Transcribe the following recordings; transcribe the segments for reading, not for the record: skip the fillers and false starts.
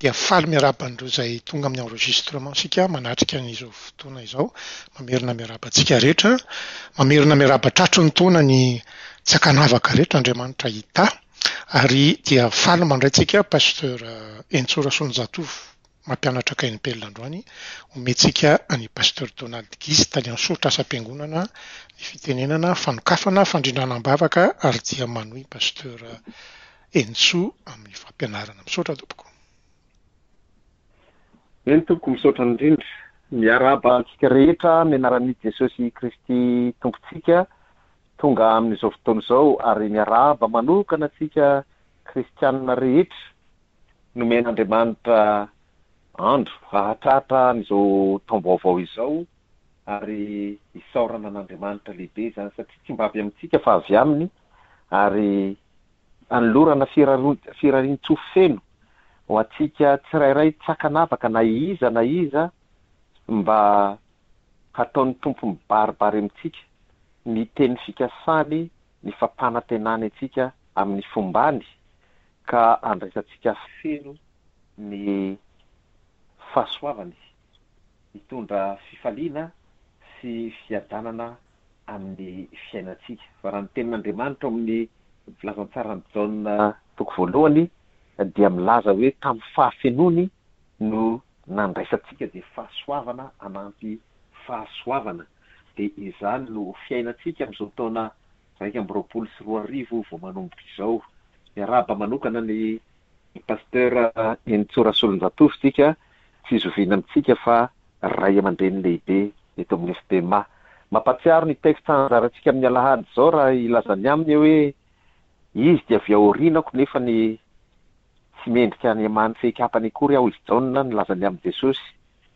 Dia faly miarahaba an'ireo izay tonga amin'ny enregistrement isika manatrika an'izao fotoana izao. Mamerina miarahaba antsika rehetra. Mamerina miarahaba tratry ny taona ny tsy ankanavaka rehetra Andriamanitra hitahy. Ary dia faly mandray antsika Pasteur Henintsoa Rasolonjatovo mampianatra KNPL androany. Omentsika an'i Pasteur Donald Guise tale soritra asam-piangonana ny fitenenana, fanokafana, fandrindrana am-bavaka ary dia manohy Pasteur Henintsoa amin'ny fampianarana. Misaotra tompoko. Eny tompoko, misaotra indrindra. Miarahaba antsika rehetra amin'ny anaran'i Jesosy Kristy Tompontsika tonga amin'izao fotoana izao ary miarahaba manokana antsika kristianina rehetra nomen'Andriamanitra andro hahatratra an'izao taom-baovao izao ary isaorana an'Andriamanitra lehibe izany satria tsy mba avy amintsika fa avy aminy ary anolorana firarian-tsoa feno ho antsika tsirairay tsy ankanavaka na iza na iza mba hataon'ny Tompo mibaribary amintsika ny teny fikasany, ny fampanantenany antsika amin'ny fombany ka andraisantsika feno ny fahasoavany hitondra fifaliana sy fiadanana amin'ny fiainantsika. Fa raha ny tenin'Andriamanitra ao amin'ny filazantsaran'i Jaona toko voalohany dia milaza hoe tamin'ny fahafenoany no nandraisantsika dia fahasoavana anampy fahasoavana. Dia izany no ho fiainantsika amin'izao taona 2021 vao manomboka izao. Miarahaba manokana ny Pasteur Henintsoa Rasolonjatovo isika, tsy zoviana amintsika fa Ray aman-dreny lehibe eto amin'ny FPMA. Mampahatsiaro ny texte anjarantsika amin'ny alahady izao raha hilaza ny aminy hoe izy dia avy ao aorianako nefa ny tsy mendrika any amany fehikapany akory aho izy Jaona nilaza ny amin'i Jesosy.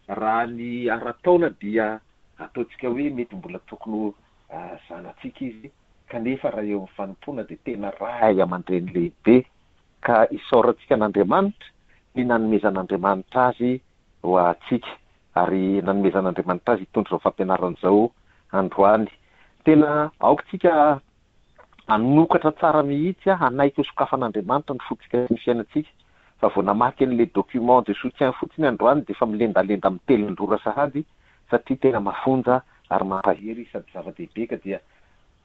Raha ny ara-taona dia ataontsika hoe mety mbola tokony ho zanatsika izy kanefa raha eo amin'ny fanompoana dia tena ray aman-dreny lehibe ka isaorantsika an'Andriamanitra ny nanomezan'Andriamanitra azy ho antsika ary nanomezan'Andriamanitra azy hitondra izao fampianarana izao androany. Tena aoka tsika hanokatra tsara mihitsy, hanaiky ho sokafan'Andriamanitra ny fontsika sy ny fiainantsika fa vao namaky an'ilay document de soutien fotsiny androany dia efa milendalenda mitelin-drora sahady satria tena mafonja ary mampahery sady zava-dehibe ka dia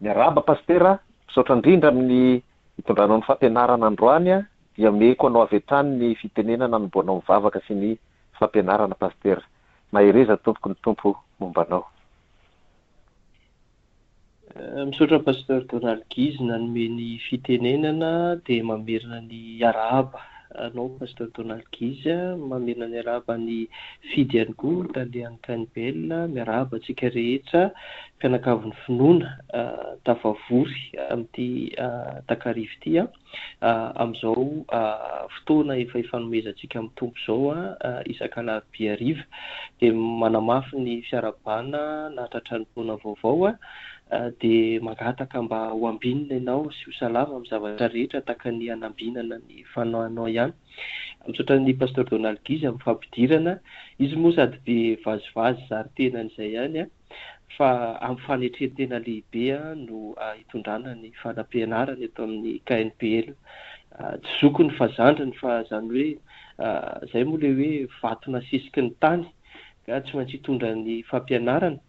miarahaba Pasitera, misaotra indrindra amin'ny hitondranao ny fampianarana androany dia omeko anao avy hatrany ny fitenenana hanombohanao ny vavaka sy ny fampianarana Pasitera. Mahereza tompoko ny Tompo momba anao. Misaotra Pasteur Donald Guise nanome ny fitenenana dia mamerina ny arahaba anao Pasteur Donald Guise, mamerina ny arahaba an'i Fidy ihany koa tale any Canibel, miarahaba antsika rehetra mpianakavin'ny finoana tafavory amin'ity takariva ity. amin'izao fotoana efa ifanomezantsika amin'ny Tompo izao isak'alarobia hariva dia manamafy ny fiarahabana nahatratra ny taona vaovao dia mangataka mba ho ambinina ianao sy ho salama amin'ny zavatra rehetra tahaka ny hanambinana ny fanahinao ihany. Misaotra an'i Pasteur Donald Guise amin'ny fampidirana. Izy moa sady be vazivazy zary tenany izay ihany. fa amin'ny fanetren-tena lehibe no hitondrana ny fanampianarana eto amin'ny KNPL. Tsy zokiny fa zandriny fa izany hoe izay moa ilay hoe vato nasesiky ny tany ka tsy maintsy hitondra ny fampianarana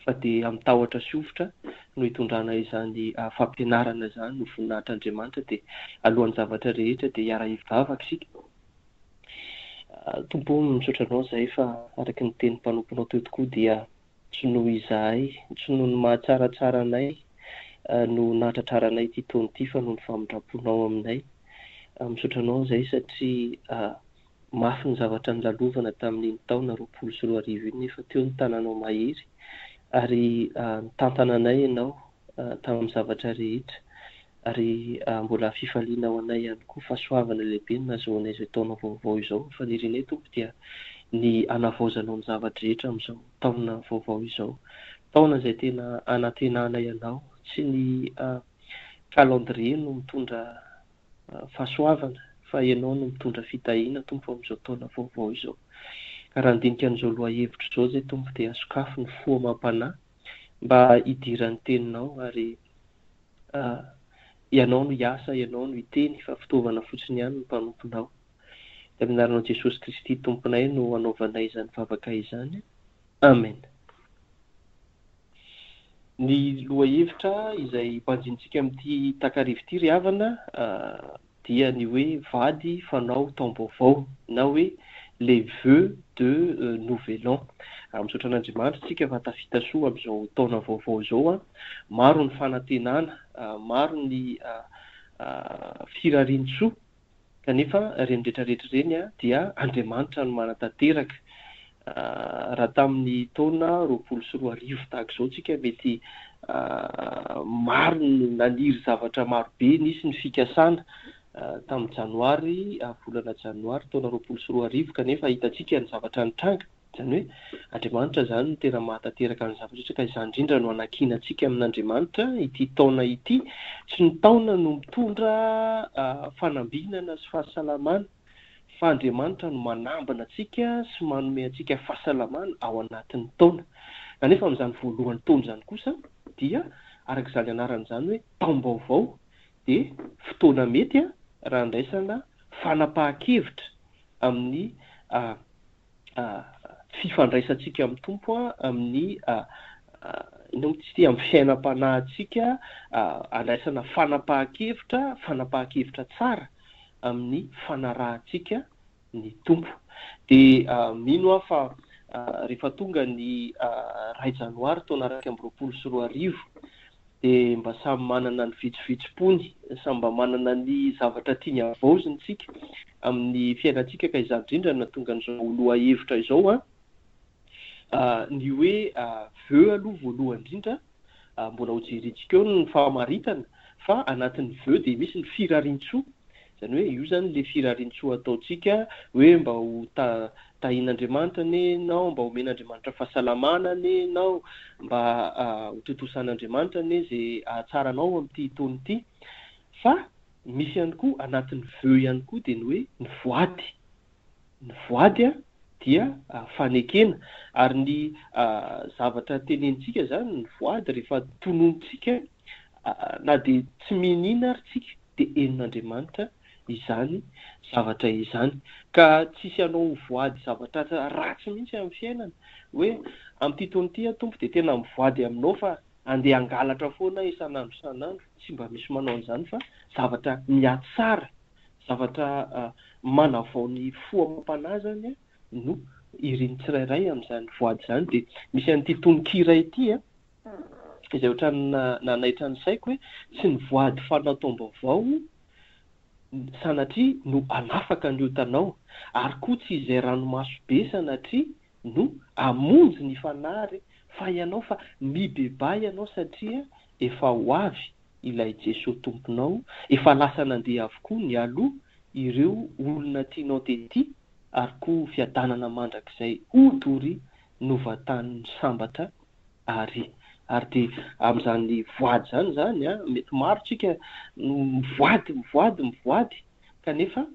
fa dia amin'ny tahotra sy hovitra no hitondrana izany fampianarana izany ho voninahitr'Andriamanitra dia alohan'ny zavatra rehetra dia hiara-hivavaka isika. Tompo ô, misaotra Anao izahay fa araka ny tenin'ny mpanomponao teo tokoa dia tsy noho izahay, tsy noho ny mahatsaratsara anay no nahatratraranay ity taona ity fa noho ny famindram-ponao aminay. Misaotra Anao izahay satria mafy ny zavatra nolalovana tamin'iny taona 2020 iny nefa teo ny tananao mahery ary nitantana anay Ianao tamin'ny zavatra rehetra. Ary mbola fifaliana ho anay ihany koa, fahasoavana lehibe no nahazoanay izao taona vaovao izao. Ny fanirianay Tompo dia ny hanavaozanao ny zava-drehetra amin'izao taona vaovao izao. Taona izay tena anantenanay Anao. Tsy ny calendrier no mitondra fahasoavana fa Ianao no mitondra fitahiana Tompo amin'izao taona vaovao izao. Ka raha handinika an'izao lohahevitra izao izay Tompo dia sokafy ny fo amam-panahy mba hidiran'ny teninao ary Ianao no hiasa, Ianao no hiteny fa fitaovana fotsiny ihany ny mpanomponao. Dia amin'ny anaranao Jesosy Kristy Tomponay no anaovanay izany vavaka izany. Amen. Ny lohahevitra izay banjinintsika amin'ity takariva ity ry havana dia ny hoe vady fanao taom-baovao na hoe les vœux de nouvel an. Misaotra an'Andriamanitra isika fa tafita soa amin'izao taona vaovao izao. Maro ny fanantenana, maro ny firarian-tsoa Kanefa ireny rehetra rehetra ireny dia Andriamanitra no manatanteraka. Raha tamin'ny taona 2020 tahaka izao tsika mety maro no naniry zavatra maro be, nisy ny fikasana tamin'ny janoary, volana janoary taona 2020 kanefa hitantsika ny zavatra nitranga. Izany hoe Andriamanitra izany no tena mahatanteraka ny zavatra rehetra ka izany indrindra no anankinantsika amin'Andriamanitra ity taona ity. Tsy ny taona no mitondra fanambinana sy fahasalamana fa Andriamanitra no manambina antsika sy manome antsika fahasalamana ao anatin'ny taona. Kanefa amin'izany voalohan'ny taona izany kosa dia araka izany anarany izany hoe taom-baovao dia fotoana mety raha andraisana fanapahan-kevitra amin'ny fifandraisantsika amin'ny Tompo, amin'ny inona moa izy ity, amin'ny fiainam-panahintsika, andraisana fanapahan-kevitra, fanapahan-kevitra tsara amin'ny fanarahantsika ny Tompo. Dia mino aho fa rehefa tonga ny iray janoary taona 2021 dia mba samy manana ny vitsivitsim-pony, samy mba manana ny zavatra tiany havaozina isika amin'ny fiainantsika ka izany indrindra no nahatonga an'izao lohahevitra izao an. Ny hoe vœux aloha voalohany indrindra, mbola hojerentsika eo ny famaritana fa anatin'ny vœux dia misy ny firarian-tsoa, Izany hoe io izany ilay firarian-tsoa ataontsika hoe mba ho tahian'Andriamanitra anie ianao, mba homen'Andriamanitra fahasalamana anie ianao, mba ho tontosan'Andriamanitra anie izay hahatsara anao amin'ity taona ity. Fa misy ihany koa anatin'ny vœux ihany koa dia ny hoe ny voady. Ny voady dia fanekena ary ny zavatra tenenintsika izany, ny voady rehefa tononintsika na dia tsy miniana ary tsika dia henon'Andriamanitra izany zavatra izany. Ka tsisy hanao voady zavatra ratsy mihitsy amin'ny fiainana hoe amin'ity taona ity aho Tompo dia tena mivoady aminao fa andeha hangalatra foana aho isan'andro isan'andro. Tsy mba misy manao an'izany fa zavatra mihatsara, zavatra manavao ny fo amam-panahy izany no irin'ny tsirairay amin'izany voady izany. Dia misy an'ity tononkira ity an. izay ohatran'ny nanaitra ny saiko hoe tsy ny voady fanao taom-baovao sanatria no hanafaka ny otanao, ary koa tsy izay ranomaso be sanatria no hamonjy ny fanahy re fa ianao fa mibebaha ianao satria efa ho avy ilay Jesoa Tomponao, efa lasa nandeha avokoa nialoha ireo olona tianao tety ary koa fiadanana mandrakizay ho doria novantanin'ny sambatra ary ary dia amin'izany voady izany izany an, mety maro tsika no mivoady mivoady mivoady kanefa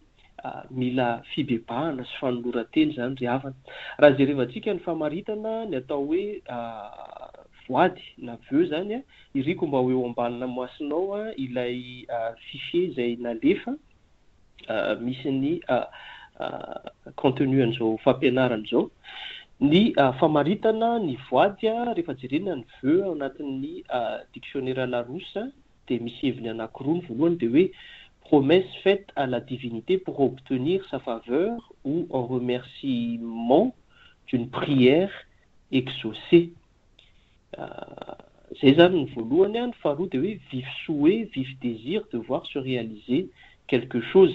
mila fibebahana sy fanoloran-tena izany ry havana. Raha jerevantsika ny famaritana ny atao hoe voady na vœux izany an, iriko mba ho eo ambanina masonao ilay fichier izay nalefa misy ny contenu an'izao fampianarana izao. Ny famaritana ny voady rehefa jerena ny vœux ao anatin'ny dictionnaire Larousse dia misy heviny anankiroa. Ny voalohany dia hoe promesse faite à la divinité pour obtenir sa faveur ou en remerciement d'une prière exaucée. Zay zany ny voalohany an, ny faharoa dia hoe vif souhait, vif désir de voir se réaliser quelque chose.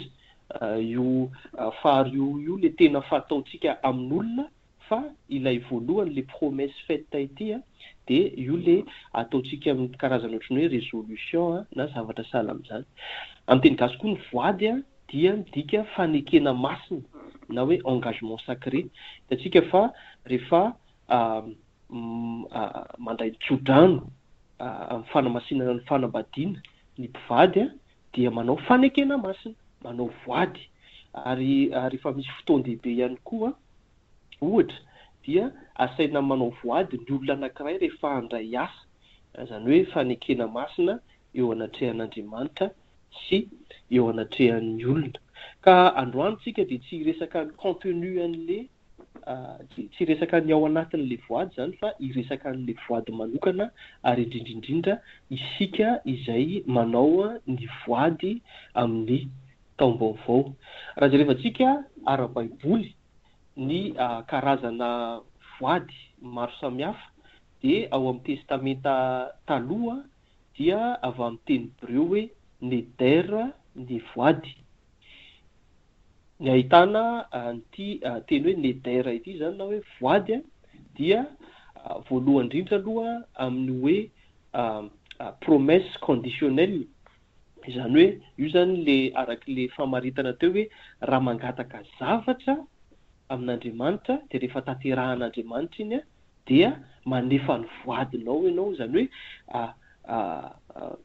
Io faharoa io le tena fataontsika amin'olona fa ilay voalohany le promesse faite ity an dia io le ataontsika amin'ny karazana ohatran'ny hoe résolution na zavatra sahala amin'izany. Amin'ny teny gasy koa ny voady an dia midika fanekena masina na hoe engagement sacré. Hitantsika fa rehefa mandray ny tsodrano amin'ny fanamasinana ny fanambadiana ny mpivady dia manao fanekena masina, manao voady. Ary rehefa misy fotoan-dehibe ihany koa, ohatra, dia asaina manao voady ny olona anankiray rehefa handray asa, izany hoe fanekena masina eo anatrehan'Andriamanitra sy eo anatrehan'ny olona. Ka androany tsika dia tsy hiresaka ny contenu an'le tsy hiresaka ny ao anatin'le voady izany fa hiresaka an'le voady manokana ary indrindra indrindra isika izay manao ny voady amin'ny taom-baovao. Raha jerevantsika ara-baiboly ny karazana voady maro samihafa dia ao amin'ny Testamenta Taloha dia avy amin'ny teny hebreo hoe neder ny voady. Ny ahitana an'ity teny hoe neder ity izany na hoe voady dia voalohany indrindra aloha amin'ny hoe promesse conditionnelle, izany hoe io izany le araka le famaritana teo hoe raha mangataka zavatra amin'Andriamanitra dia rehefa tanterahan'Andriamanitra iny dia manefa ny voadinao ianao, izany hoe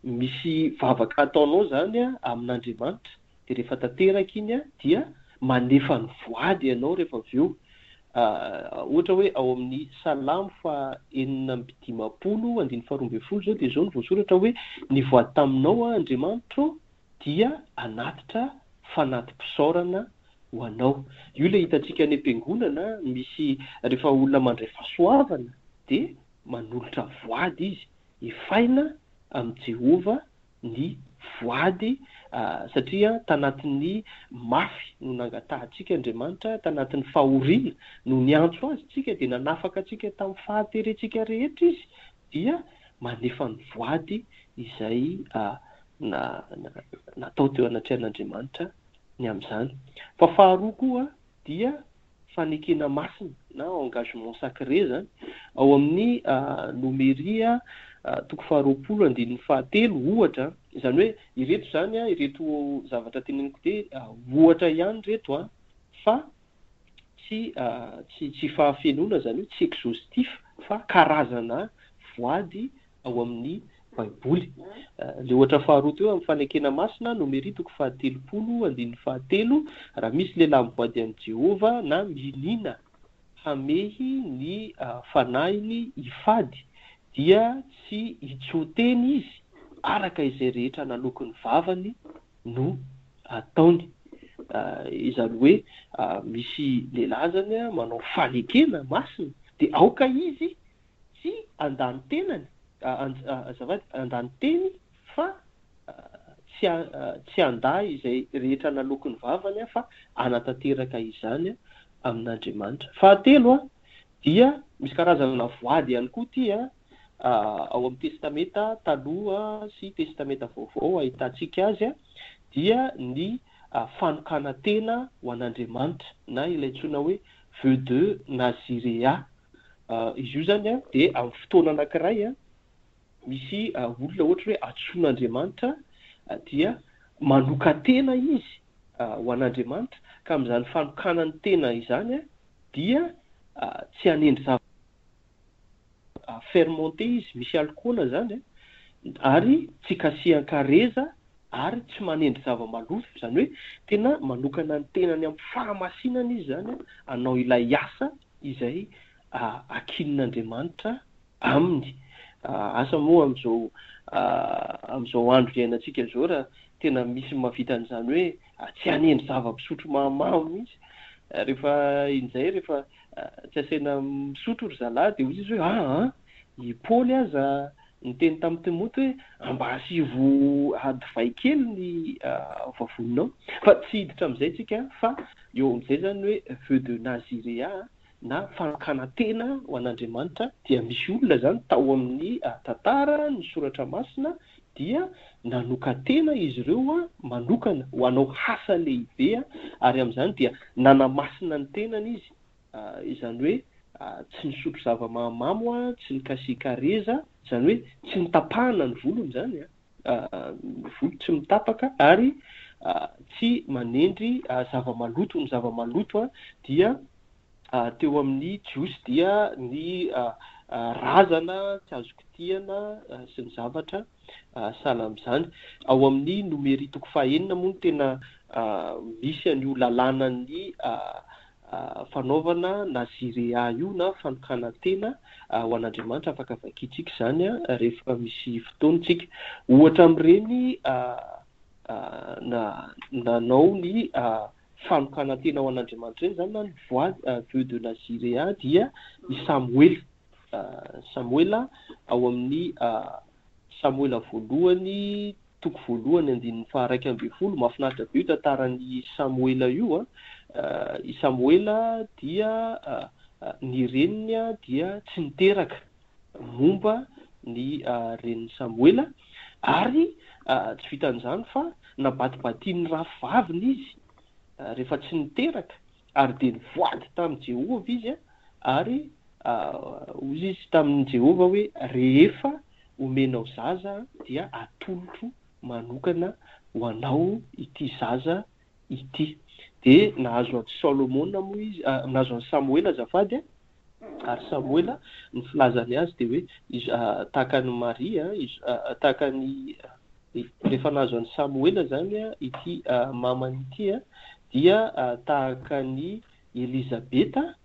misy vavaka ataonao izany amin'Andriamanitra, dia rehefa tanteraka iny dia manefa ny voady ianao rehefa avy eo. Ohatra hoe ao amin'ny Salamo faha 56 andininy faha 12 izao dia izao no voasoratra hoe, Nivoady taminao aho Andriamanitro ô, dia hanatitra fanati-pisaorana ho anao. Io ilay hitantsika any am-piangonana, misy rehefa olona mandray fahasoavana dia manolotra voady izy, efaina amin'i Jehovah ny voady satria tanatin'ny mafy no nangatahantsika Andriamanitra, tanatin'ny fahoriana no niantso Azy tsika dia nanafaka antsika tamin'ny fahaterentsika rehetra Izy dia manefa ny voady izay natao teo anatrehan'Andriamanitra ny amin'izany. Fa faharoa koa dia fanekena masina na engagement sacré izany, ao amin'ny Nomeria toko faharoapolo andininy fahatelo ohatra, izany hoe ireto izany ireto zavatra teneniko dia ohatra ihany ireto fa tsy tsy tsy fahafenoana izany hoe tsy exhaustif fa karazana voady ao amin'ny Baiboly. Ilay ohatra faharoa teo amin'ny fanekena masina, Nomery toko fahatelopolo andininy fahatelo, raha misy lehilahy mivoady amin'i Jehovah na miniana hamehy ny fanahiny hifady, dia tsy hitsoa-teny izy araka izay rehetra naloaky ny vavany no ataony. Izany hoe misy lehilahy izany manao fanekena masina dia aoka izy tsy handà ny tenany, azafady, handà ny teny fa tsy tsy handà izay rehetra naloaky ny vavany fa hanatanteraka izany amin'Andriamanitra. Fahatelo dia misy karazana voady ihany koa ity ao amin'ny Testamenta Taloha sy Testamenta Vaovao ahitantsika azy dia ny fanokanan-tena ho an'Andriamanitra na ilay antsoina hoe vœu de Naziréa. Izy io izany dia amin'ny fotoana anankiray misy olona ohatra hoe antsoin'Andriamanitra dia manokan-tena izy ho an'Andriamanitra ka amin'izany fanokanany tena izany dia tsy hanendry zavatra fermenté izy, misy alikaola izany ary tsy kasihan-kareza ary tsy manendry zava-maloto, izany hoe tena manokana ny tenany amin'ny fahamasinana izy izany hanao ilay asa izay ankinin'Andriamanitra aminy. Asa moa amin'izao amin'izao andro iainantsika izao raha tena misy mahavita an'izany hoe tsy hanendry zava-pisotro mahamamo mihitsy. Rehefa injay rehefa tsy asaina misotro ry zalahy dia hoy izy hoe aa i Paoly aza niteny tamin'i Timoty hoe mba asivo divay kely ny vavoninao. Fa tsy hiditra amin'izay tsika fa eo amin'izay izany hoe vœu de Naziréa na fanokanan-tena ho an'Andriamanitra dia misy olona izany tao amin'ny tantara ny soratra masina dia nanokan-tena izy ireo manokana ho hanao asa lehibe ary amin'izany dia nanamasina ny tenany izy, izany hoe tsy nisotro zava-mahamamo, tsy nikasikareza, izany hoe tsy notapahana ny volony izany, ny volo tsy mitapaka ary tsy manendry zava-maloto, ny zava-maloto dia teo amin'ny Jiosy dia ny razana tsy azo kitihana sy ny zavatra sahala amin'izany. Ao amin'ny Nomery toko fahenina moa no tena misy an'io lalànan'ny fanaovana nazirea io na fanokanan-tena ho an'Andriamanitra. Afaka vakintsika izany rehefa misy fotoana isika. Ohatra amin'ireny. nanao ny fanokanan-tena ho an'Andriamanitra ireny izany na ny voady vœu de Naziréa dia i Samoela. Samoela ao amin'ny Samoela voalohany toko voalohany andininy faha-11. Mahafinaritra be io tantaran'i Samoela io. I Samoela dia ny reniny dia tsy niteraka momba ny renin'i Samoela ary tsy vitan'izany fa nabatibatian'ny rafivaviny izy rehefa tsy niteraka ary dia nivoady tamin'i Jehovah izy ary hoy izy tamin'i Jehovah hoe, Rehefa omenao zaza dia atolotro manokana ho anao ity zaza ity. Dia nahazo an'i Solomona moa izy, nahazo an'i Samoela azafady, ary Samoela ny filazany azy dia hoe tahaka an'i Maria, tahaka an'i, rehefa nahazo an'i Samoela izany ity mamany ity dia tahaka an'i Elizabeta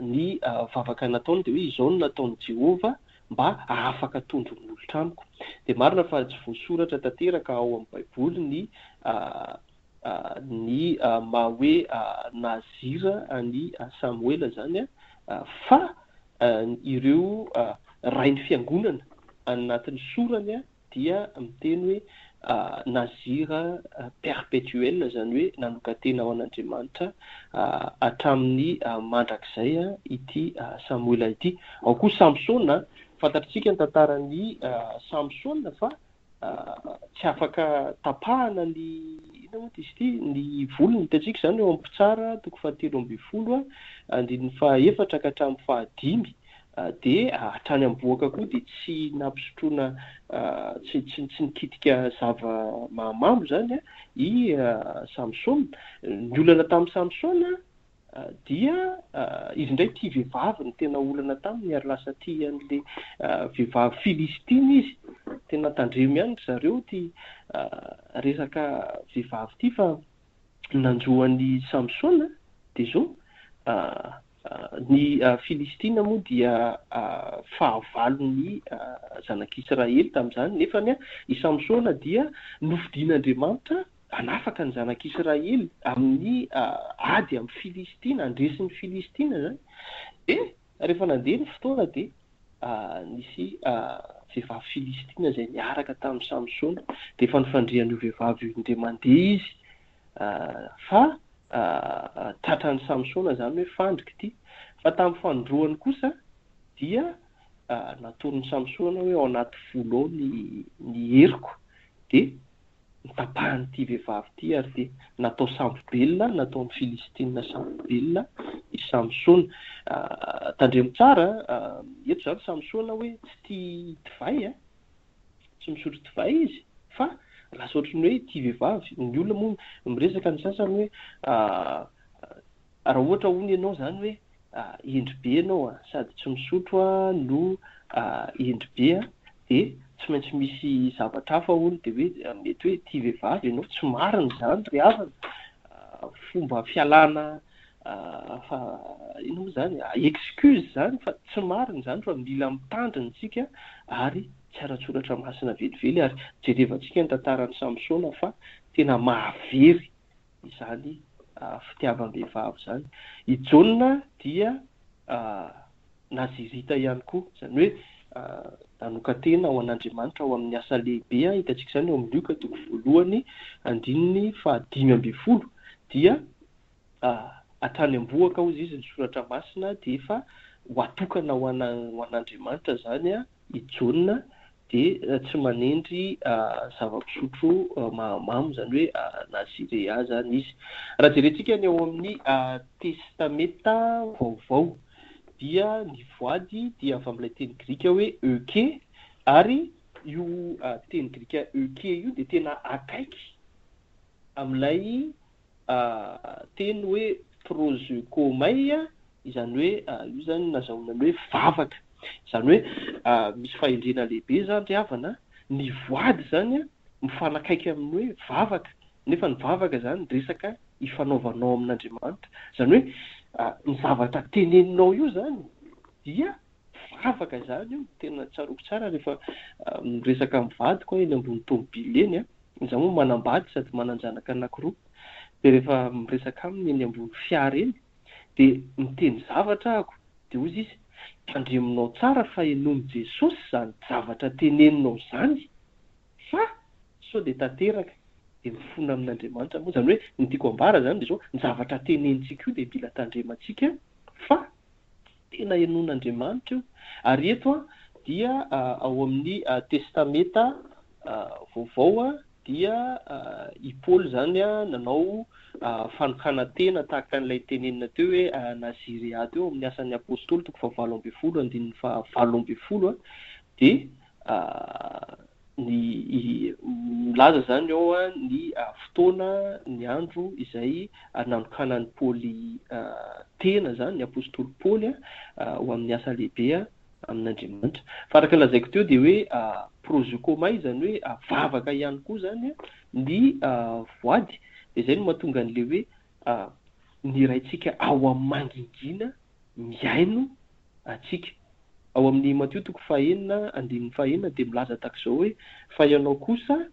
ny vavaka nataony dia hoe izao no nataon'i Jehovah mba hahafaka tondro molotra amiko. Dia marina fa tsy voasoratra tanteraka ao amin'ny Baiboly ny ny maha hoe Nazir an'i Samoela izany fa ireo rain'ny fiangonana anatin'ny sorany dia miteny hoe Nazir perpetuel, izany hoe nanokan-tena ho an'Andriamanitra hatramin'ny mandrakizay ity Samoela ity. Ao koa Samsona, fantatritsika ny tantaran'i Samsona fa tsy afaka tapahana ny inona moa izy ity, ny volony, hitantsika izany eo amin'ny Mpitsara toko fahatelo ambinifolo andininy fahaefatra ka hatramin'ny fahadimy. Dia hatrany am-bohoka koa dia tsy nampisotroana, tsy tsy tsy nikitika zava-mahamamo izany i Samsona. Ny olana tamin'i Samsona dia izy indray tia vehivavy no tena olana taminy ary lasa tia an'ilay vehivavy filistina izy. Tena tandremo ihany ry zareo ity resaka vehivavy ity fa ny nanjo an'i Samsona dia izao, Ny Filistina moa dia fahavalon'ny zanak'Israely tamin'izany, nefa i Samsona dia nofidin'Andriamanitra hanafaka ny zanak'Israely amin'ny ady amin'ny Filistina, handresy ny Filistina izany. Dia rehefa nandeha ny fotoana dia nisy vehivavy Filistina izay niaraka tamin'i Samsona, dia efa nifandrian'io vehivavy io indray mandeha izy Fa tratran'i Samsona izany hoe fandrika ity. Fa tamin'ny fanindroany kosa dia natoron'i Samsona hoe ao anaty volo ao ny ny heriko. Dia notapahan'ity vehivavy ity ary dia natao sambo-belona, nataon'ny Filistina sambo-belona i Samsona. Tandremo tsara, eto izany Samsona hoe tsy tia divay an! tsy misotro divay izy fa lasa ohatran'ny hoe tia vehivavy, ny olona moa miresaka ny sasany hoe raha ohatra hono ianao izany hoe hendry be ianao an, sady tsy misotro no hendry be an, dia tsy maintsy misy zavatra hafa hono dia hoe mety hoe tia vehivavy ianao, tsy marina izany ry havana, fomba fialana fa inona moa izany, excuse izany fa tsy marina izany fa mila mitandrina isika ary tsy ara-tsoratra masina velively ary jerevantsika ny tantaran'i Samsona fa tena mahavery izany fitiavam-behivavy izany. I Jaona dia Nazirita ihany koa, izany hoe nanokan-tena ho an'Andriamanitra ao amin'ny asa lehibe, hitantsika izany eo amin'ny Lioka toko voalohany andininy faha-15 dia hatrany am-bohoka hozy izy ny soratra masina dia efa ho atokana ho an'Andriamanitra izany i Jaona dia tsy manendry zava-pisotro mahamamo izany hoe nazirea izany izy. Raha jerentsika ny ao amin'ny Testamenta Vaovao dia ny voady dia avy amin'ilay teny grika hoe euke ary io teny grika euke io dia tena akaiky amin'ilay teny hoe prosekomai, izany hoe io izany nazahoana ny hoe vavaka. Izany hoe misy fahendrena lehibe izany ry havana, ny voady izany mifanakaiky amin'ny hoe vavaka, nefa ny vavaka izany resaka ifanaovanao amin'Andriamanitra. Izany hoe ny zavatra teneninao io izany dia vavaka izany io, tena tsaroako tsara rehefa miresaka amin'ny vadiko aho eny ambony tomobile eny an. Izaho moa manambady sady manan-janaka anankiroa, dia rehefa miresaka aminy eny ambony fiara eny dia miteny zavatra ahako dia hozy izy, tandremonao tsara fa henoin'i Jesosy izany zavatra teneninao izany fa sao dia tanteraka dia mifona amin'Andriamanitra moa, izany hoe ny tiako ambara izany dia izao, ny zavatra tenenintsika io dia mila tandremantsika fa tena henoin'Andriamanitra io, ary eto dia ao amin'ny testameta vaovao dia i Paoly izany nanao fanokanan-tena tahaka an'ilay tenenina teo hoe Nazirea teo amin'ny asan'ny apostoly toko fahavalo ambinifolo andininy fahavalo ambinifolo dia ny milaza izany ao ny fotoana ny andro izay nanokanan'i Paoly tena izany ny apostoly Paoly ho amin'ny asa lehibe amin'Andriamanitra. Fa araka ny lazaiko teo dia hoe prozokomay izany hoe vavaka ihany koa izany ny voady. Dia izay no mahatonga an'ilay hoe ny Raintsika ao amin'ny mangingina mihaino antsika. Ao amin'ny Matio toko fahenina andininy fahenina dia milaza tahaka izao hoe fa ianao kosa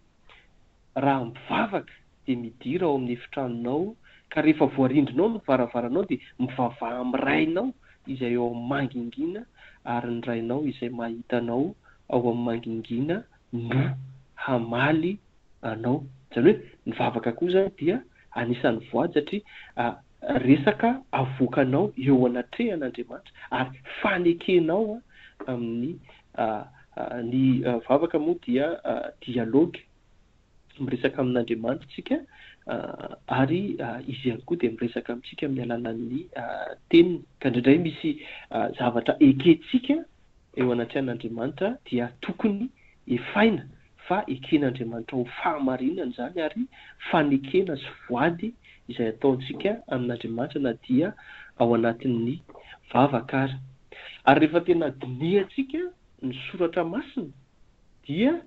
raha mivavaka dia midira ao amin'ny efitranonao, ka rehefa voarindrinao ny varavaranao dia mivavaha amin'ny Rainao izay ao amin'ny mangingina, ary ny Rainao izay mahita anao ao amin'ny mangingina no hamaly anao. Izany hoe ny vavaka koa izany dia anisan'ny voady satria resaka avoakanao eo anatrehan'Andriamanitra ary fanekenao amin'ny ny vavaka moa dia dialogue miresaka amin'Andriamanitra isika ary Izy ihany koa dia miresaka amintsika amin'ny alalan'ny Teniny. Ka indraindray misy zavatra ekentsika eo anatrehan'Andriamanitra dia tokony efaina fa eken'Andriamanitra ho fahamarinana izany ary fanekena sy voady izay ataontsika amin'Andriamanitra na dia ao anatin'ny vavaka ara. Ary rehefa tena dinihantsika ny soratra masina dia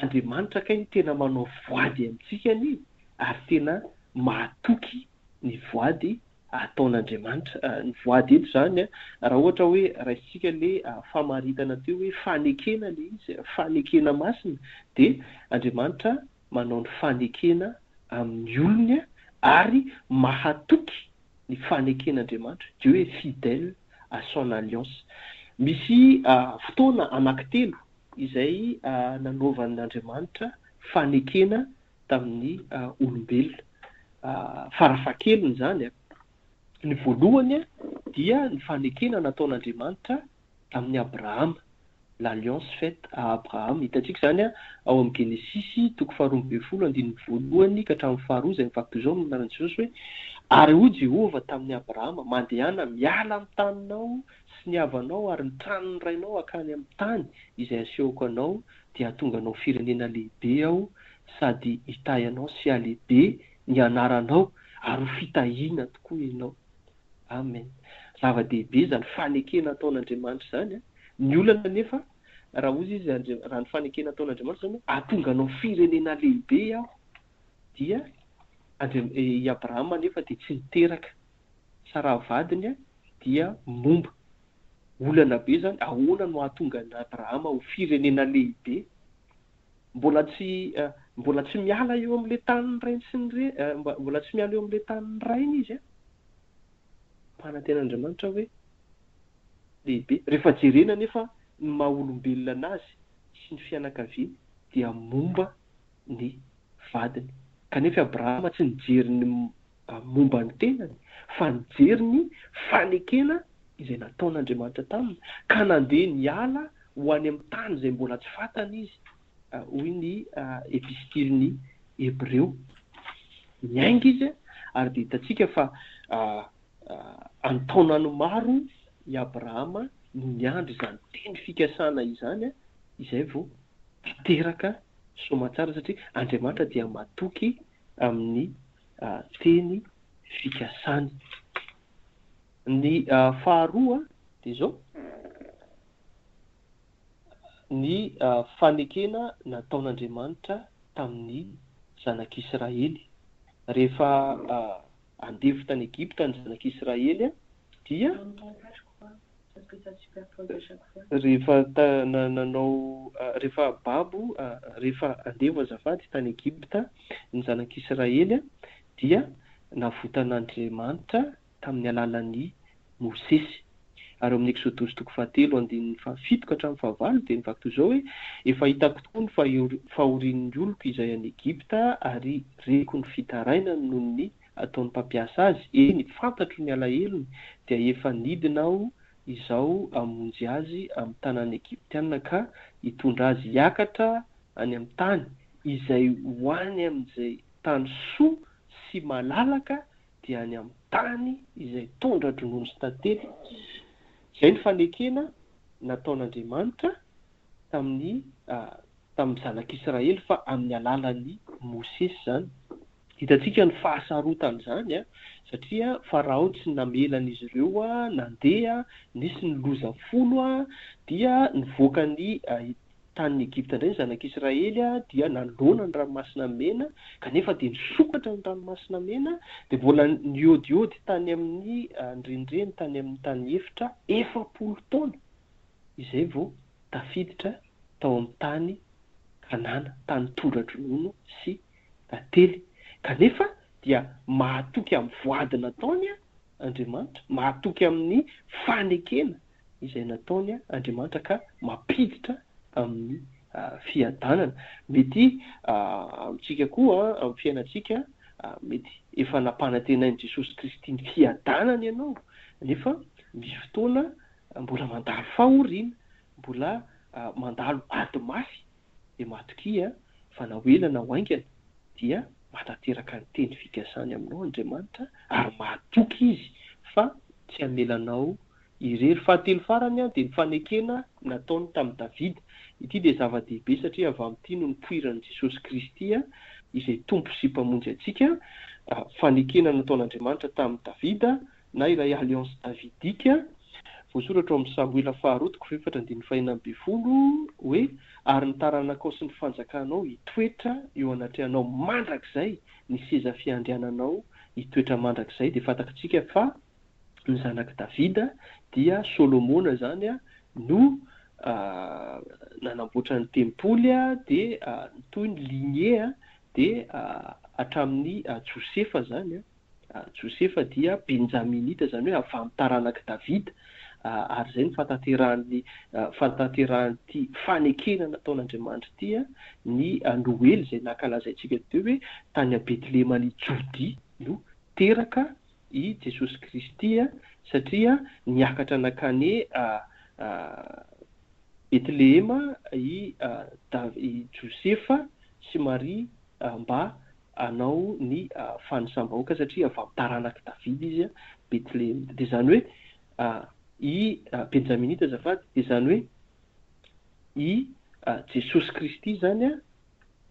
Andriamanitra kay no tena manao voady amintsika anie ary tena mahatoky ny voady ataon'Andriamanitra. Ny voady eto izany raha ohatra hoe raisintsika le famaritana teo hoe fanekena le izy, fanekena masina dia Andriamanitra manao ny fanekena amin'ny olony ary mahatoky ny faneken'Andriamanitra, Dieu est fidèle à son alliance. Misy fotoana anankitelo izay nanaovan'Andriamanitra fanekena tamin'ny olombelona. Farafahakeliny izany, ny voalohany dia ny fanekena nataon'Andriamanitra tamin'i Abrahama, l'alliance faite à Abraham. Hitantsika izany ao amin'ny Genesisy toko faharoa ambinifolo andininy voalohany ka hatramin'ny faharoa izay mivaky toy izao amin'ny anaran'i Jesosy hoe, Ary hoy Jehovah tamin'i Abrahama, Mandehana miala amin'ny taninao sy ny havanao ary ny tranon'ny rainao hankany amin'ny tany izay asehoko anao, dia hahatonga anao firenena lehibe Aho sady hitahy anao sy hahalehibe ny anaranao, ary ho fitahiana tokoa ianao. Amen. Zava-dehibe izany fanekena ataon'Andriamanitra izany. Ny olana anefa, raha hozy izy, raha ny fanekena ataon'Andriamanitra izany hoe hahatonga anao firenena lehibe Aho, dia i Abrahama anefa dia tsy niteraka. Saraha vadiny dia momba. Olana be izany, ahoana no hahatonga an'i Abrahama ho firenena lehibe? Mbola tsy mbola tsy miala eo amin'ilay tanin'ny rainy sy ny re, mbola tsy miala eo amin'ilay tanin'ny rainy izy an. Ampanantenan'Andriamanitra hoe lehibe. Rehefa jerena anefa ny maha olombelona anazy sy ny fianakaviany dia momba ny vadiny. Kanefa i Abrahama tsy nijery ny momba ny tenany fa nijery ny fanekena izay nataon'Andriamanitra taminy, ka nandeha niala ho any amin'ny tany izay mbola tsy fantany izy, hoy ny epistilin'ny Hebreo. Niainga izy ary dia hitantsika fa an-taonany maro i Abrahama no niandry izany teny fikasana izany izay vao tanteraka soamantsara satria Andriamanitra dia matoky amin'ny teny fikasany. Ny faharoa dia izao, ny fanekena nataon'Andriamanitra tamin'ny zanak'Israely. Rehefa andevo tany Egypta ny zanak'Israely dia. Rehefa nanao rehefa babo rehefa andevo azafady tany Egypta ny zanak'Israely dia navotan'Andriamanitra tamin'ny alalan'i Mosesy. Ary ao amin'ny Eksodosy toko fahatelo andininy fahafito ka hatramin'ny fahavalo dia mivaky toy izao hoe, Efa hitako tokoa ny fahorian'ny oloko izay any Egypta ary reko ny fitarainany noho ny ataon'ny mpampiasa azy, eny, fantatro ny alahelony, dia efa nidina aho izao hamonjy azy amin'ny tanàn'ny Egyptiana ka hitondra azy hiakatra any amin'ny tany izay ho any amin'izay tany soa sy malalaka, dia any amin'ny tany izay tondra-dronono sy tantely. Izay ny fanekena nataon'Andriamanitra tamin'ny tamin'ny zanak'Israely fa amin'ny alalan'i Mosesy izany. Hitantsika ny fahasarotan'izany satria Farao tsy namela an'izy ireo nandeha, nisy ny loza folo dia nivoaka ny tanin'i Egypta indray ny zanak'Israely dia nanoloana ny ranomasina mena kanefa dia nisokatra ny ranomasina mena dia mbola niodiody tany amin'ny nirenireny tany amin'ny tany efitra 40 taona izay vao tafiditra tao amin'ny tany Kanana, tany tondra-dronono sy tantely. Kanefa dia mahatoky amin'ny voady nataony Andriamanitra, mahatoky amin'ny fanekena izay nataony Andriamanitra ka mampiditra amin'ny fiadanana. Mety amintsika koa, amin'ny fiainantsika, mety efa nampanantenain'i Jesosy Kristy ny fiadanana ianao, nefa misy fotoana mbola mandalo fahoriana, mbola mandalo ady mafy dia matokia fa na ho ela na ho haingana dia mahatanteraka ny teny fikasany aminao Andriamanitra ary mahatoky Izy fa tsy hamela anao irery. Fahatelo farany dia ny fanekena nataony tamin'i Davida. Ity dia zava-dehibe satria avy amin'ity no nipoiran'i Jesosy Kristy izay Tompo sy Mpamonjy antsika. Fanekena nataon'Andriamanitra tamin'i Davida na ilay Alliance Davidique, voasoratra ao amin'ny Samoela faharoa toko fahefatra andininy fahenina ambin'ny folo hoe, Ary ny taranakao sy ny fanjakanao hitoetra eo anatrehanao mandrakizay, ny seza fiandriananao hitoetra mandrakizay. Dia fantatrtsika fa ny zanak'i Davida dia Solomona izany no nanamboatra ny tempoly dia nitohy ny lignée dia hatramin'i Josefa izany. Josefa dia Benjaminita, izany hoe avy amin'ny taranak'i Davida, ary izay no fahatanterahan'ny fahatanterahan'ity fanekena nataon'Andriamanitra ity, ny Noely izay nankalazaintsika teo hoe tany Betleheman'i Jodia no teraka i Jesosy Kristy, satria niakatra nankany Betlehema i i Josefa sy Maria mba hanao ny fanisam-bahoaka satria avy amin'ny taranak'i Davida izy, Betlehemita. Dia izany hoe i Benjaminita azafady, dia izany hoe i Jesosy Kristy izany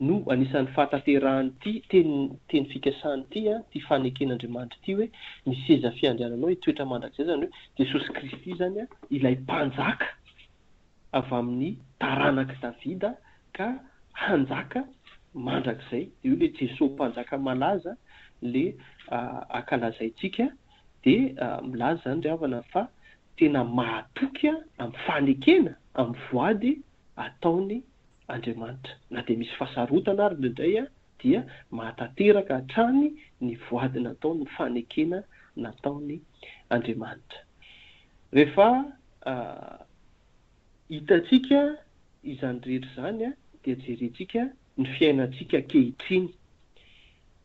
no anisan'ny fahatanterahan'ity teny teny fikasana ity, ity faneken'Andriamanitra ity hoe ny seza fiandriananao hitoetra mandrakizay, izany hoe Jesosy Kristy izany ilay mpanjaka avy amin'ny taranak'i Davida ka hanjaka mandrakizay. Dia io ilay Jesoa mpanjaka malaza ilay ankalazaintsika dia milaza izany ry havana fa tena mahatoky amin'ny fanekena, amin'ny voady ataony Andriamanitra. Na dia misy fahasarotana ary indraindray dia mahatanteraka hatrany ny voady nataony, ny fanekena nataony Andriamanitra. Rehefa hitantsika izany rehetra izany dia jerentsika ny fiainantsika ankehitriny.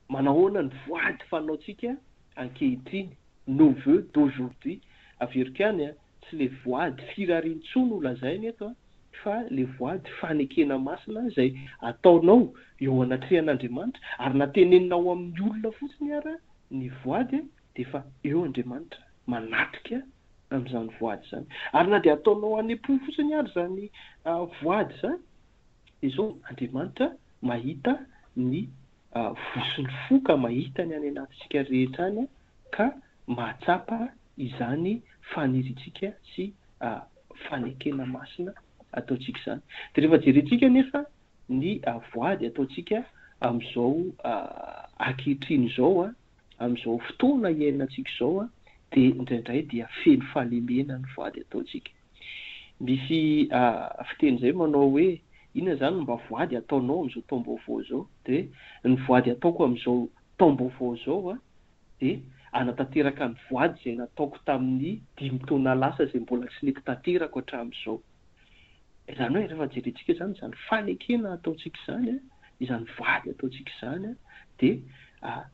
Manahoana ny voady fanaontsika ankehitriny, nos voeux d'aujourd'hui. Averiko ihany, tsy le voady firariantsoa no lazaina eto fa le voady fanekena masina izay ataonao eo anatrehan'Andriamanitra ary na teneninao amin'ny olona fotsiny ara ny voady dia efa eo Andriamanitra manatrika amin'izany voady izany. Ary na dia ataonao any am-po fotsiny ary izany voady izany, dia izao Andriamanitra mahita ny vosin'ny fo ka mahita ny any anatintsika rehetra any ka mahatsapa izany faniriantsika sy fanekena masina ataontsika izany. Dia rehefa jerentsika anefa ny voady ataontsika amin'izao ankehitriny izao, amin'izao fotoana iainantsika izao. Dia indraindray dia feno fahalemena ny voady ataontsika. Misy fiteny izay manao hoe, inona izany no mba voady ataonao amin'izao taom-baovao izao? Dia hoe, ny voady ataoko amin'izao taom-baovao izao dia hanatanteraka ny voady izay nataoko tamin'ny dimy taona lasa izay mbola tsy nety tanterako hatramin'izao. Izany hoe rehefa jerentsika izany izany fanekena ataontsika izany, izany voady ataontsika izany dia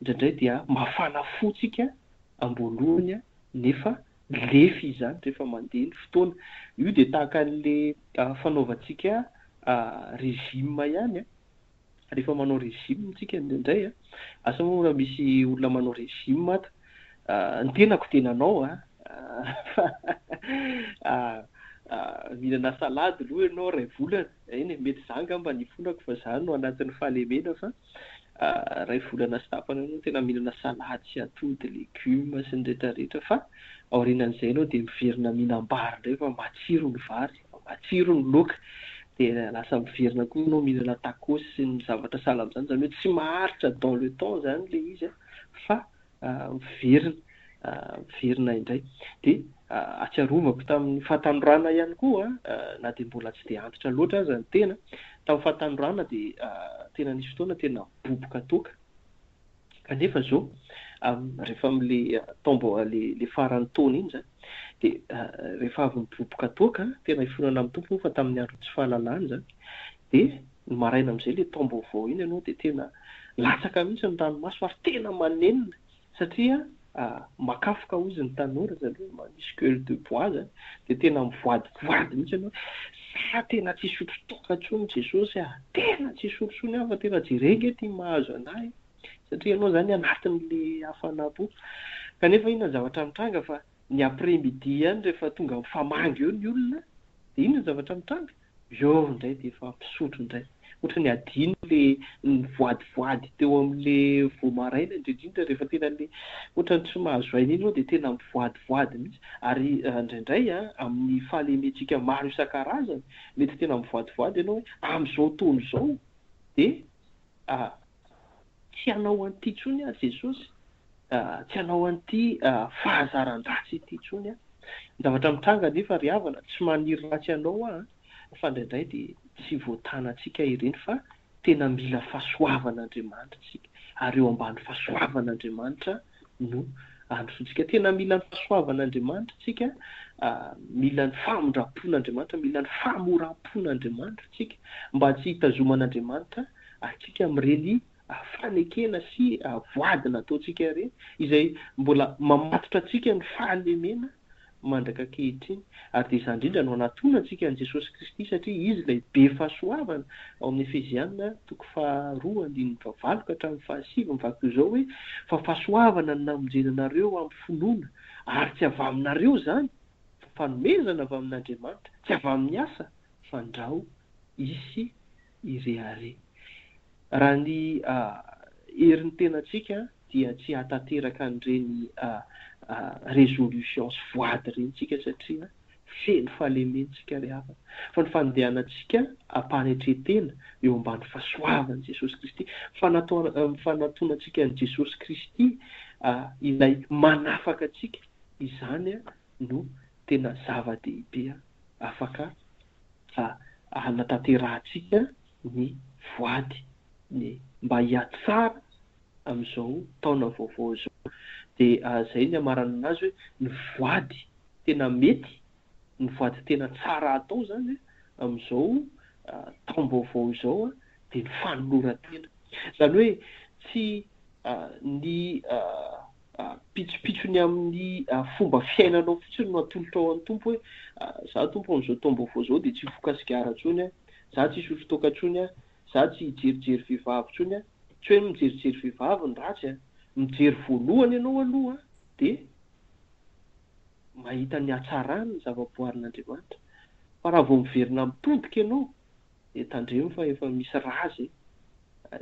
indraindray dia mafana fo tsika am-boalohany nefa lefy izany rehefa mandeha ny fotoana. Io dia tahaka an'ilay fanaovantsika régime ihany. Rehefa manao régime tsika indraindray, asa moa raha misy olona manao régime ato, ny tenako dia nanao an, fa mihinana salade aloha ianao iray volana, eny e, mety za angamba ny ifonako fa za no anatin'ny fahalemena fa iray volana sy tapany eo ianao tena mihinana salade sy atody, legioma sy ny rehetra rehetra fa aorianan'izay ianao dia miverina mihinam-bary indray fa matsiro ny vary. Matsiro ny laoka dia lasa miverina koa ianao mihinana tacos sy ny zavatra sahala amin'izany, izany hoe tsy maharitra dans le temps izany ilay izy fa miverina miverina indray. Dia ahatsiarovako tamin'ny fahatanorana ihany koa na dia mbola tsy dia antitra loatra aza ny tena, tamin'ny fahatanorana dia tena nisy fotoana tena boboka toaka. Kanefa izao, rehefa amin'ilay taom-bao ilay faran'ny taona iny izany, dia rehefa avy niboboka toaka, tena ifonana amin'ny Tompo moa fa tamin'ny andron'ny tsy fahalalana izany, dia ny maraina amin'izay ilay taom-baovao iny ianao dia tena latsaka mihitsy ny ranomaso ary tena manenina satria makafoka hozy ny tanora izany hoe misy gueule de bois izany, dia tena mivoadivoady mihitsy ianao hoe za tena tsy hisotro toaka intsony Jesosy ah, tena tsy hisotro intsony aho fa tena jereo ange ity mahazo anah e, satria ianao izany anatin'le hafanam-po. Kanefa inona ny zavatra mitranga fa ny après midi ihany rehefa tonga mifamangy eo ny olona dia inona ny zavatra mitranga? Eo indray dia efa mpisotro indray. Ohatran'ny adino le nivoadivoady teo amin'le vao maraina indrindra indrindra rehefa tena le ohatran'ny tsy mahazo aina iny ianao dia tena mivoadivoady mihitsy. Ary indraindray amin'ny fahalementsika maro isan-karazany mety tena mivoadivoady ianao hoe amin'izao taona izao dia tsy hanao an'ity intsony aho Jesosy, tsy hanao an'ity fahazaran-dratsy ity intsony aho. Ny zavatra mitranga anefa ry havana, tsy maniry ratsy anao aho an, fa indraindray dia tsy voatanantsika ireny fa tena mila fahasoavan'Andriamanitra isika, ary eo ambany fahasoavan'Andriamanitra no androsoantsika. Tena mila ny fahasoavan'Andriamanitra isika, mila ny famindram-pon'Andriamanitra, mila ny famoram-pon'Andriamanitra isika mba tsy hitazoman'Andriamanitra antsika amin'ireny fanekena sy voady nataontsika ireny, izay mbola mamatotra antsika ny fahalemena mandraka ankehitriny. Ary dia izany indrindra no anatonantsika an'i Jesosy Kristy, satria Izy ilay be fahasoavana, ao amin'ny Efesiana toko faharoa andininy fahavalo ka hatramin'ny fahasivy, mivaky toy izao hoe, Fa fahasoavana no namonjena anareo amin'ny finoana, ary tsy avy aminareo izany, fa fanomezana avy amin'Andriamanitra, tsy avy amin'ny asa, fandrao hisy hirehareha. Raha ny herin'ny tenantsika dia tsy hahatanteraka an'ireny résolution sy voady ireny tsika satria feno fahalemena tsika ry havana. Fa ny fandehanantsika am-panetren-tena eo ambany fahasoavan'i Jesosy Kristy, fanatonantsika an'i Jesosy Kristy ilay manafaka antsika, izany no tena zava-dehibe afaka hanatanterahantsika ny voady ny mba hihatsara amin'izao taona vaovao izao. Dia izay ny hamaranana azy hoe ny voady tena mety, ny voady tena tsara atao izany amin'izao taom-baovao izao dia ny fanoloran-tena. Izany hoe tsy ny pitsopitsony amin'ny fomba fiainanao fotsiny no atolotrao an'ny Tompo hoe za Tompo amin'izao taom-baovao izao dia tsy hifoka sigara intsony aho, za tsy hisotro toaka intsony aho, za tsy hijerijery vehivavy intsony aho. Tsy hoe mijerijery vehivavy no ratsy an! Mijery voalohany ianao aloha dia mahita ny hatsarany ny zava-boarin'Andriamanitra. Fa raha vao miverina mitodika ianao dia tandremo fa efa misy raza e!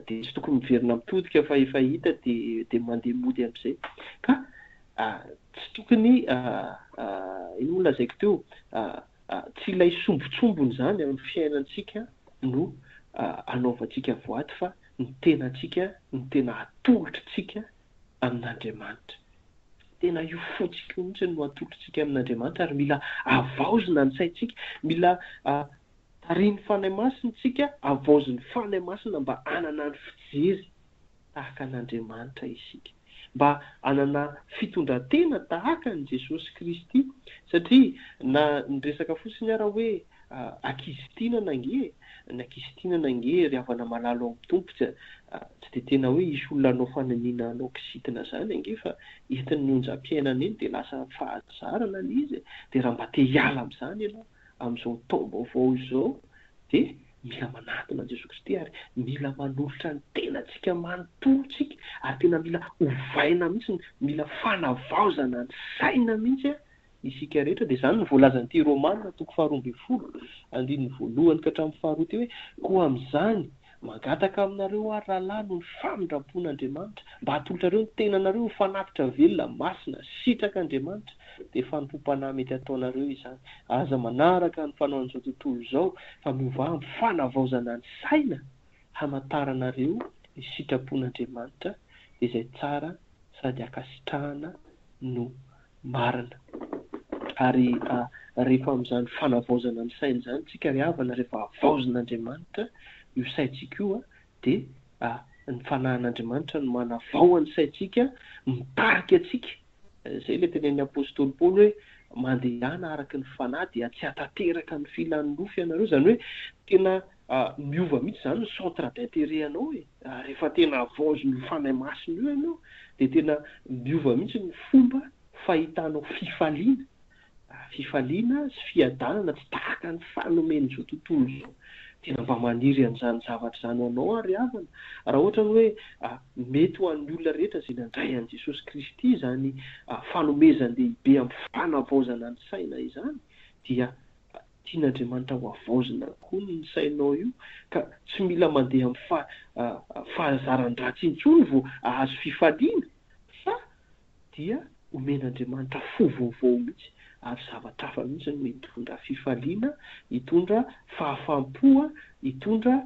Dia tsy tokony miverina mitodika fa efa hita dia dia mandeha mody amin'izay. Ka tsy tokony inona moa lazaiko teo, tsy ilay sombintsombiny izany amin'ny fiainantsika no anaovantsika voady fa ny tenantsika no tena atolotritsika amin'Andriamanitra. Tena io fontsika io mihitsy no atolotsika amin'Andriamanitra ary mila havaozina ny saintsika, mila tarihin'ny Fanahy Masina isika, havaozin'ny Fanahy Masina mba hanana ny fijery tahaka an'Andriamanitra isika, mba hanana fitondran-tena tahaka an'i Jesosy Kristy, satria na niresaka fotsiny ara hoe ankizy tianana ange e, ny ankizy tianana ange ry havana malala ao amin'ny Tompo tsy tsy dia tena hoe hisy olona hanao faniniana hanao kizitina izany ange fa entin'ny onjam-piainana eny dia lasa fahazarana ilay izy e, dia raha mba te hiala amin'izany ianao amin'izao taom-baovao izao dia mila manatona an'i Jesoa Kristy ary mila manolotra ny tenantsika manontolo tsika ary tena mila ovaina mihitsy, mila fanavaozana ny saina mihitsy isika rehetra. Dia izany no voalazan'ity Romana toko faharoa ambin'ny folo andininy voalohany ka hatramin'ny faharoa ity hoe, Koa amin'izany, mangataka aminareo aho ry rahalahy noho ny famindram-pon'Andriamanitra, mba hatolotrareo ny tenanareo ho fanatitra velona, masina, sitrak'Andriamanitra, dia fanompoam-panahy mety hataonareo izany. Aza manaraka ny fanaon'izao tontolo izao, fa miovà amin'ny fanavaozana ny saina hamantaranareo ny sitrapon'Andriamanitra, dia izay tsara sady ankasitrahana no marina. Ary rehefa amin'izany fanavaozana ny saina izany tsika ry havana, rehefa havaozin'Andriamanitra io saintsika io dia ny fanahin'Andriamanitra no manavao ny saintsika, mitarika antsika. Izay ilay tenenin'ny apostoly Paoly hoe mandehana araka ny fanahy dia tsy hahatanteraka ny filan'ny nofo ianareo. Izany hoe tena miova mihitsy izany ny centre d'intérêt anao e. Rehefa tena havaozin'io fanahy masina io ianao dia tena miova mihitsy ny fomba fahitanao fifaliana. Fifaliana sy fiadanana tsy tahaka ny fanomen'izao tontolo izao. Tena mba maniry an'izany zavatra izany ho anao aho ry havana. Raha ohatra ny hoe mety ho an'ny olona rehetra izay nandray an'i Jesosy Kristy izany fanomezan-dehibe amin'ny fanavaozana ny saina izany dia tian'Andriamanitra ho havaozina koa ny sainao io ka tsy mila mandeha amin'ny fahazaran-dratsy intsony vao hahazo fifaliana fa dia omen'Andriamanitra fo vaovao mihitsy ary zavatra hafa mihitsy no hitondra fifaliana, hitondra fahafaham-po, hitondra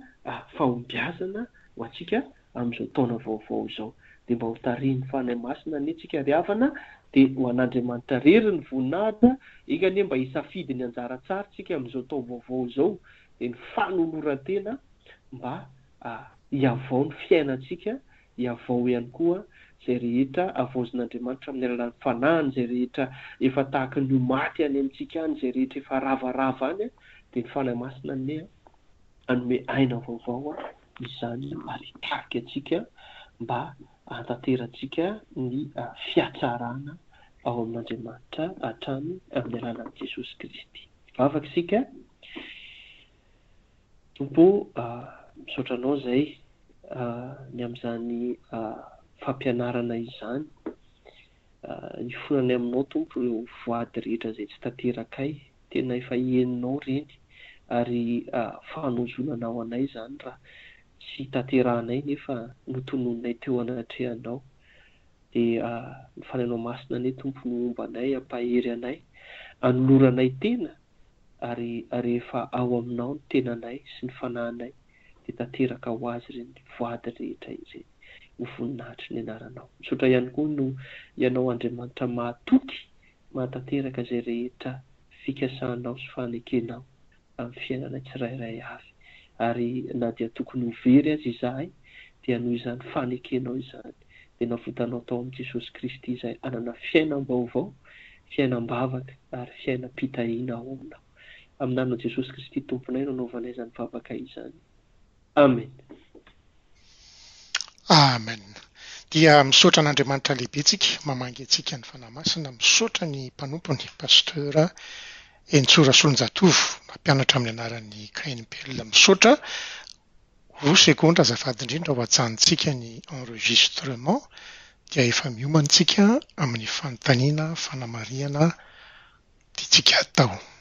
fahombiazana ho antsika amin'izao taona vaovao izao. Dia mba ho tarihin'ny Fanahy Masina anie tsika ry havana, dia ho an'Andriamanitra irery ny voninahitra, enga anie mba hisafidy ny anjara tsara tsika amin'izao taom-baovao izao, dia ny fanoloran-tena mba hihavao ny fiainantsika, hihavao ihany koa izay rehetra havaozin'Andriamanitra amin'ny alalan'ny Fanahiny, izay rehetra efa tahaka ny ho maty any amintsika any, izay rehetra efa ravarava any, dia ny Fanahy Masina anie hanome aina vaovao izany ary hitarika antsika mba hahatanterantsika ny fihatsarana ao amin'Andriamanitra hatrany amin'ny alalan'i Jesosy Kristy. Hivavaka isika. Tompo ô, misaotra Anao izay ny amin'izany fampianarana izany. Ifonanay aminao Tompo ireo voady rehetra izay tsy tanterakay. Tena efa henonao ireny ary fanozonana ho anay izany raha tsy tanterahanay nefa notononinay teo anatrehanao. Dia ny Fanahinao Masina anie Tompo no homba anay, hampahery anay, hanoloranay tena ary rehefa ao aminao ny tenanay sy ny fanahinay dia tanteraka ho azy ireny voady rehetra ireny ho voninahitry ny anaranao. Misaotra ihany koa noho Ianao Andriamanitra mahatoky mahatanteraka izay rehetra fikasanao sy fanekenao amin'ny fiainanay tsirairay avy. Ary na dia tokony ho very aza izahay dia noho izany fanekenao izany dia navotanao tao amin'i Jesosy Kristy izahay hanana fiainam-baovao, fiainam-bavaka ary fiainam-pitahiana ao aminao. Amin'ny anaran'i Jesosy Kristy Tomponay no anaovanay izany vavaka izany. Amen. Amen. Dia misaotra an'Andriamanitra lehibe tsika mamangy antsika ny Fanahy Masina, misaotra ny mpanompony Pasteur Henintsoa Rasolonjatovo mampianatra amin'ny anaran'ny KNPL misaotra Roa segondra azafady indrindra ho ajanontsika ny enregistrement dia efa miomana tsika amin'ny fanontaniana fanamarihana tiantsika atao.